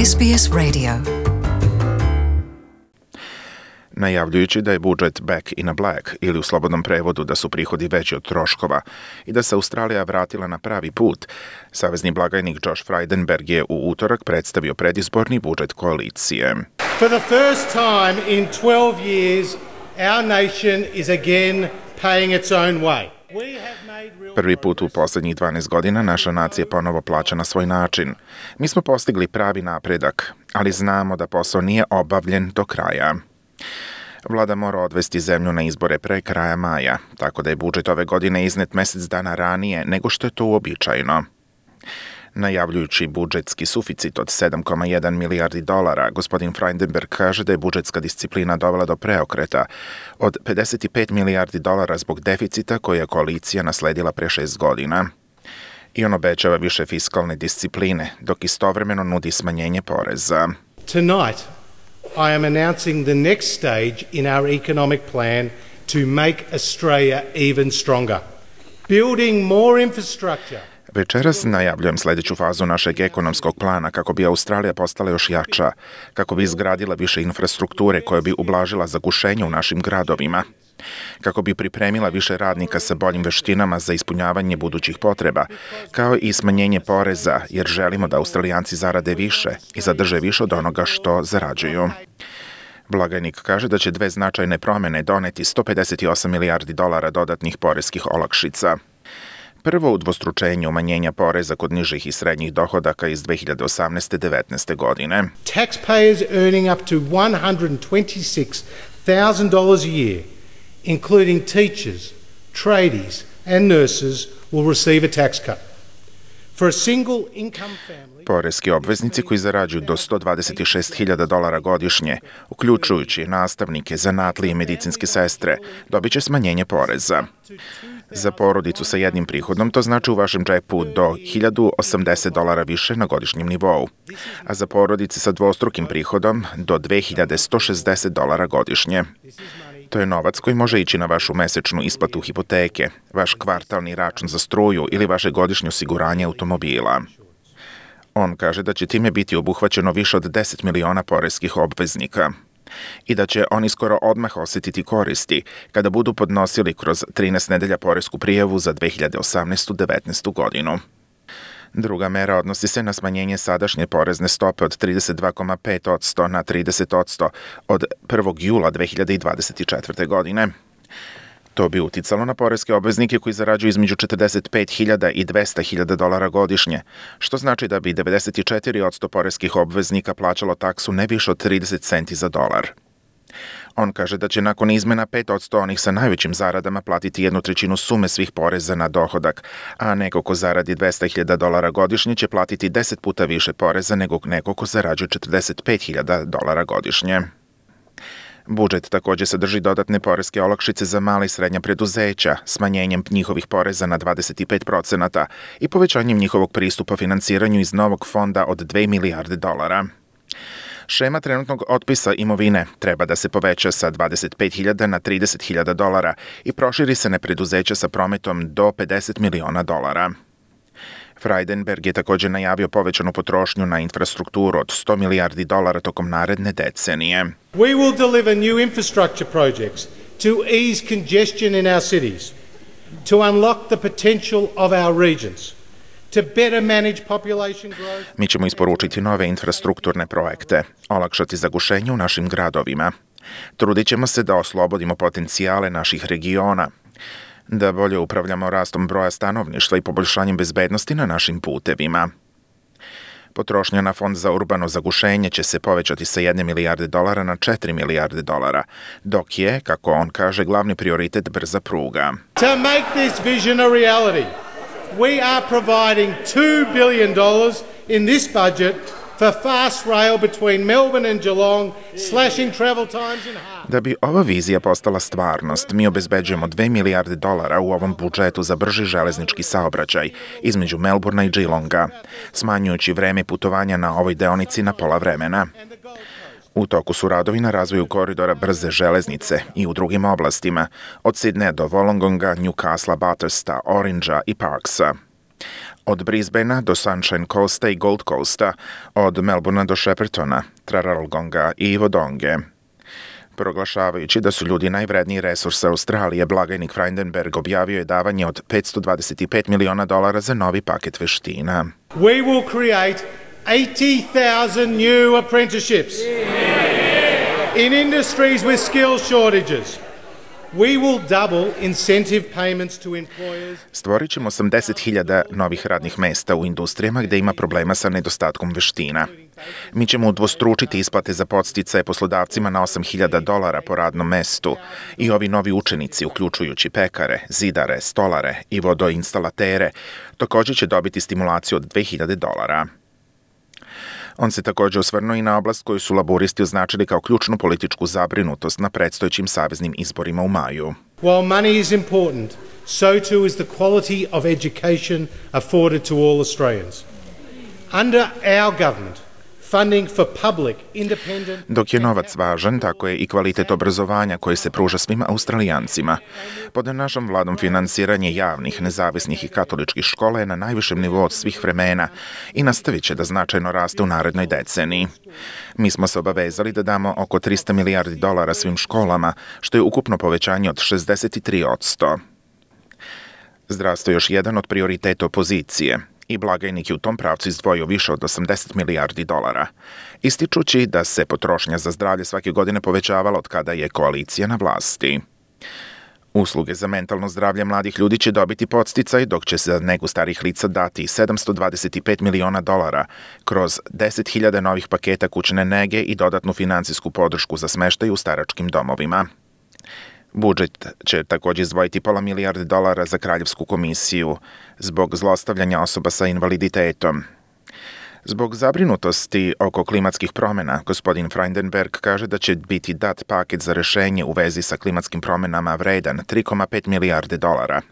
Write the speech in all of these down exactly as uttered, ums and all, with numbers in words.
S B S Radio. Najavljujući da je budžet back in a black ili u slobodnom prevodu da su prihodi veći od troškova i da se Australija vratila na pravi put, savezni blagajnik Josh Frydenberg je u utorak predstavio predizborni budžet koalicije. For the first time in twelve years, our nation is again paying its own way. Prvi put u posljednjih dvanaest godina naša nacija ponovo plaća na svoj način. Mi smo postigli pravi napredak, ali znamo da posao nije obavljen do kraja. Vlada mora odvesti zemlju na izbore pre kraja maja, tako da je budžet ove godine iznet mesec dana ranije nego što je to uobičajeno. Najavljujući budžetski suficit od sedam zarez jedan milijardi dolara, gospodin Frydenberg kaže da je budžetska disciplina dovela do preokreta od pedeset pet milijardi dolara zbog deficita koje je koalicija nasledila pre šest godina. I on obećava više fiskalne discipline, dok istovremeno nudi smanjenje poreza. Tonight, I am announcing the next stage in our economic plan to make Australia even stronger. Building more infrastructure. Večeras najavljujem sljedeću fazu našeg ekonomskog plana kako bi Australija postala još jača, kako bi izgradila više infrastrukture koja bi ublažila zagušenje u našim gradovima, kako bi pripremila više radnika sa boljim veštinama za ispunjavanje budućih potreba, kao i smanjenje poreza, jer želimo da Australijanci zarade više i zadrže više od onoga što zarađuju. Blagajnik kaže da će dve značajne promjene doneti sto pedeset osam milijardi dolara dodatnih poreskih olakšica. Prvo udvostručenje umanjenja poreza kod nižih i srednjih dohodaka iz dve hiljade osamnaeste do devetnaeste godine. Taxpayers earning up to one hundred twenty-six thousand dollars a year, including teachers, tradies and nurses, will receive a tax cut. For a single income family, poreski obveznici koji zarađuju do sto dvadeset šest hiljada dolara godišnje, uključujući nastavnike, zanatlije i medicinske sestre, dobit će smanjenje poreza. Za porodicu sa jednim prihodom to znači u vašem džepu do hiljadu osamdeset dolara više na godišnjem nivou, a za porodice sa dvostrukim prihodom do dve hiljade sto šezdeset dolara godišnje. To je novac koji može ići na vašu mesečnu isplatu hipoteke, vaš kvartalni račun za struju ili vaše godišnje osiguranje automobila. On kaže da će time biti obuhvaćeno više od deset miliona poreskih obveznika i da će oni skoro odmah osjetiti koristi kada budu podnosili kroz trinaest nedelja poresku prijavu za dve hiljade osamnaestu do devetnaestu godinu. Druga mera odnosi se na smanjenje sadašnje porezne stope od trideset dva zarez pet posto na trideset posto od prvog jula dve hiljade dvadeset četvrte. godine. To bi uticalo na poreske obveznike koji zarađuju između četrdeset pet hiljada i dvesta hiljada dolara godišnje, što znači da bi devedeset četiri posto poreskih obveznika plaćalo taksu ne više od trideset centi za dolar. On kaže da će nakon izmena pet posto onih sa najvećim zaradama platiti jednu trećinu sume svih poreza na dohodak, a neko ko zaradi dvesta hiljada dolara godišnje će platiti deset puta više poreza nego neko ko zarađuje četrdeset pet hiljada dolara godišnje. Budžet također sadrži dodatne poreske olakšice za mala i srednja preduzeća, smanjenjem njihovih poreza na dvadeset pet posto i povećanjem njihovog pristupa finansiranju iz novog fonda od dve milijarde dolara. Šema trenutnog otpisa imovine treba da se poveća sa dvadeset pet hiljada na trideset hiljada dolara i proširi se na preduzeća sa prometom do pedeset miliona dolara. Frydenberg je također najavio povećanu potrošnju na infrastrukturu od sto milijardi dolara tokom naredne decenije. We will deliver new infrastructure projects to ease congestion in our cities, to unlock the potential of our regions, to better manage population growth. Mi ćemo isporučiti nove infrastrukturne projekte, olakšati zagušenje u našim gradovima. Trudit ćemo se da oslobodimo potencijale naših regiona, da bolje upravljamo rastom broja stanovništva i poboljšanjem bezbednosti na našim putevima. Potrošnja na fond za urbano zagušenje će se povećati sa jedne milijarde dolara na četiri milijarde dolara, dok je, kako on kaže, glavni prioritet brza pruga. To make this vision a reality, we are providing two billion dollars in this budget for fast rail between Melbourne and Geelong, slashing travel times in half. Da bi ova vizija postala stvarnost, mi obezbeđujemo dve milijarde dolara u ovom budžetu za brži železnički saobraćaj između Melbournea i Geelonga, smanjujući vreme putovanja na ovoj deonici na pola vremena. U toku su radovi na razvoju koridora brze železnice i u drugim oblastima, od Sidneja do Wollongonga, Newcastle, Battersta, Orangea i Parksa. Od Brisbanea do Sunshine Coasta i Gold Coasta, od Melbournea do Sheppartona, Traralgonga i Wodonge. Proglašavajući da su ljudi najvredniji resurs Australije, blagajnik Frydenberg objavio je davanje od petsto dvadeset pet miliona dolara za novi paket veština. We will create eighty thousand new apprenticeships in industries with skill shortages. We will double incentive payments to employers. Stvorit ćemo osamdeset hiljada novih radnih mesta u industrijama gde ima problema sa nedostatkom veština. Mi ćemo udvostručiti isplate za podsticaje poslodavcima na osam hiljada dolara po radnom mestu i ovi novi učenici, uključujući pekare, zidare, stolare i vodoinstalatere, također će dobiti stimulaciju od dve hiljade dolara. On se također osvrnuo i na oblast koju su laburisti označili kao ključnu političku zabrinutost na predstojećim saveznim izborima u maju. While money is important, so too is the quality of education afforded to all Australians. Under our government, funding for public, independent... Dok je novac važan, tako je i kvalitet obrazovanja koji se pruža svim Australijancima. Pod našom vladom finansiranje javnih, nezavisnih i katoličkih škola je na najvišem nivou od svih vremena i nastavit će da značajno raste u narednoj deceniji. Mi smo se obavezali da damo oko trista milijardi dolara svim školama, što je ukupno povećanje od šezdeset tri posto. Zdravstvo je još jedan od prioriteta opozicije i blagajnik je u tom pravcu izdvojio više od osamdeset milijardi dolara, ističući da se potrošnja za zdravlje svake godine povećavala od kada je koalicija na vlasti. Usluge za mentalno zdravlje mladih ljudi će dobiti podsticaj, dok će se za negu starih lica dati sedamsto dvadeset pet miliona dolara kroz deset hiljada novih paketa kućne nege i dodatnu finansijsku podršku za smeštaj u staračkim domovima. Budžet će također izdvojiti pola milijarde dolara za Kraljevsku komisiju zbog zlostavljanja osoba sa invaliditetom. Zbog zabrinutosti oko klimatskih promjena, gospodin Frydenberg kaže da će biti dat paket za rešenje u vezi sa klimatskim promjenama vredan tri zarez pet milijarde dolara,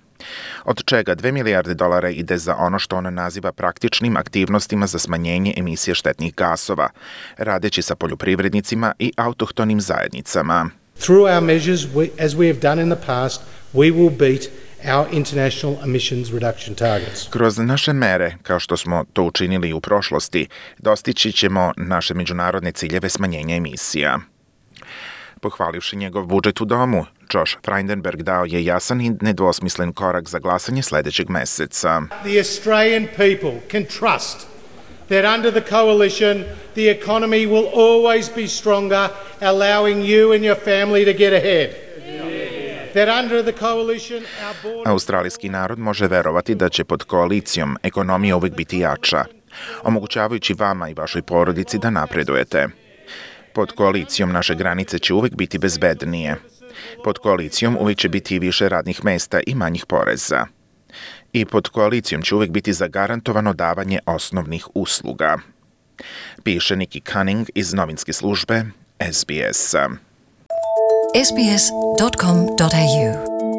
od čega dve milijarde dolara ide za ono što on naziva praktičnim aktivnostima za smanjenje emisije štetnih gasova, radeći sa poljoprivrednicima i autohtonim zajednicama. Through our measures, we, as we have done in the past, we will beat our international emissions reduction targets. Kroz naše mere, kao što smo to učinili u prošlosti, dostići ćemo naše međunarodne ciljeve smanjenja emisija. Pohvalivši njegov budžet u domu, Josh Frydenberg dao je jasan i nedvosmislen korak za glasanje sljedećeg meseca. The Australian people can trust that under the coalition, the economy will always be stronger, allowing you and your family to get ahead. That under the coalition, our border... Australijski narod može verovati da će pod koalicijom ekonomija uvijek biti jača, omogućavajući vama i vašoj porodici da napredujete. Pod koalicijom naše granice će uvijek biti bezbednije. Pod koalicijom uvijek će biti više radnih mesta i manjih poreza. I pod koalicijom će uvijek biti zagarantovano davanje osnovnih usluga. Piše Nikki Cunning iz novinske službe S B S-a. S B S dot com dot A U